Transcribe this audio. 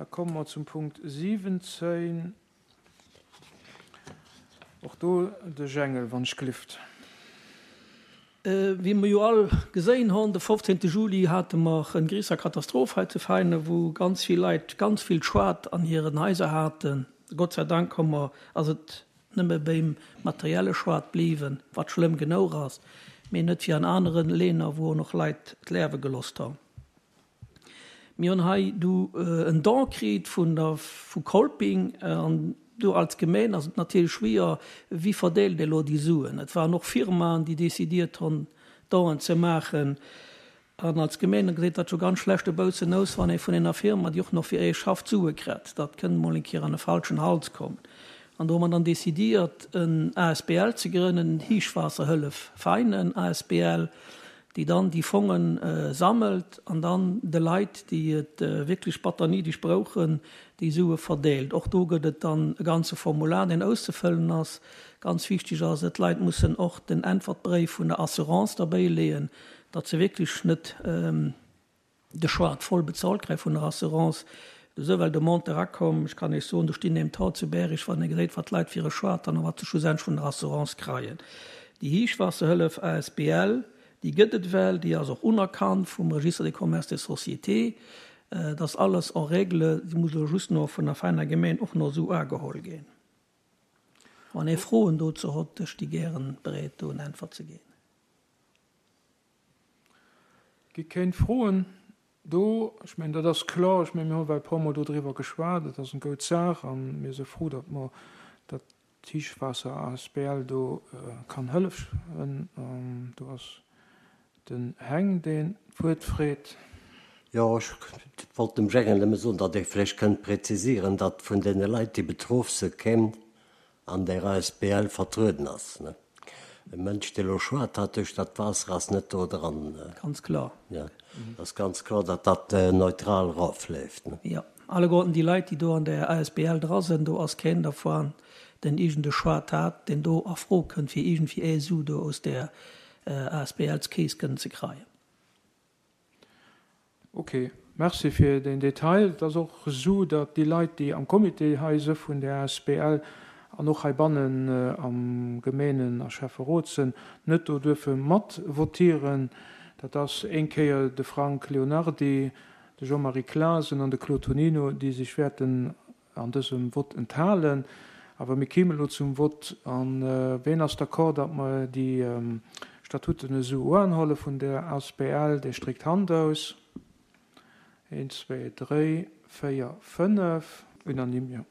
Da komme mer zum Punkt 17. Och do de Jengel, wann ech glift. Wéi mer jo all geséin hon, de 15 Juli hate mer en gréisser Katastroph hei zu Veinen, wou ganz vill Leit ganz vill Schued an hiren Haiser haten. Gott sei Dank hu mer, ass et nëmme béim materielle Schued bliwen, wat schlëmm genouch ass, mee net wéi an aneren Länner, wou och noch Leit d'Lärwe gelosst hon. Mir hunn hei du en Don kritt vun der vu Kolping an do als Gemeen ass et natierlech schwier, wie verdeelt elo déi Suen. Et waren och Firmaen, déi decidiert hunn, Donen ze maachen. An als Gemeen gesäit dat scho ganz schlecht e boussen aus, wann ee vun enger Firma, déi och nach fir ee schafft, Sue kritt. Dat kënnt mol eng Kéier an e falschen Hals kommen. An do hu mer dann decidiert, en asbl ze grënnen, Héichwaasserhëllef Veinen asbl. déi dann déi Fongen sammelt an dann de Leit, déi et wierklech batter néideg brauchen, déi Sue verdeelt. Och do gëtt et dann e ganze Formular, deen auszefëllen ass. Ganz wichteg ass et, d'Leit mussen och den Äntwertbréif vun der Assurance derbäileeën, datt se wierklech net de Schued voll bezahlt kréie vun der Assurance. Esou well de Monte erakomm, ech kann Iech soen, do stinn deem Taux zu Bäreg, wann ee geséit, wat d'Leit fir e Schued dann a wat se schlussendlech vun der Assurance kreien. Déi Hiichwaasserhëllef asbl, déi gëtt et well, déi ass och unerkannt vum Registre des commerces des sociétés. Et ass alles en règle, déi muss elo just no vun der Veiner Gemeen och no esou uageholl ginn. Wann ee Froen dozou hott, ech sti gären bereet do en Äntwert ze ginn. Gi kéint froen do. Ech mengen, dat ass kloer. Ech mengen, mir hu well e puermol dodriwwer geschwat. Et ass eng goud Saach a mir si frou, datt mer, datt d'Hiichwaasser asbl do kann hëllefen. Do ass den Heng, deen d'Wuert freet. Jo, ech wollt dem Gérard nëmme soen, datt ee vläicht kënnt präzisieren, datt vun deene Leit, déi betroff se keen an där asbl vertrueden ass. E Mënsch, dee lo schwat hat duerch dat Waasser, ass net do dran. Ganz kloer. Jo, ass ganz kloer, datt dat neutral erofleeft. Jo, alleguerten déi Leit, déi do an där asbl dra sinn, do ass keen dervun, deen iergend e Schwat hat, deen do a Fro kënnt, fir iergendwéi ee Su do aus där asbls-Keess kënnen ze kreien. Ok, merci fir deen Detail. Et ass och esou, datt déi Leit, déi am Comité hei si vun der asbl an och heibannen am Gemeenen a Schäfferot sinn, net do duerfe mat votieren. Dat ass éng Kéier de Frank Leonardy, de Jean-Marie Clasen an de Claude Tonino, déi sech wäerten an dësem Vott enthalen. Awer mir kéimen elo zum Vott. A ween ass d'accord, datt mer déi Statuten esou uanholle vun der asbl? Dee stréckt d'Hand aus. Een, zwee, dréi, véier, fënnef. Unanime, jo.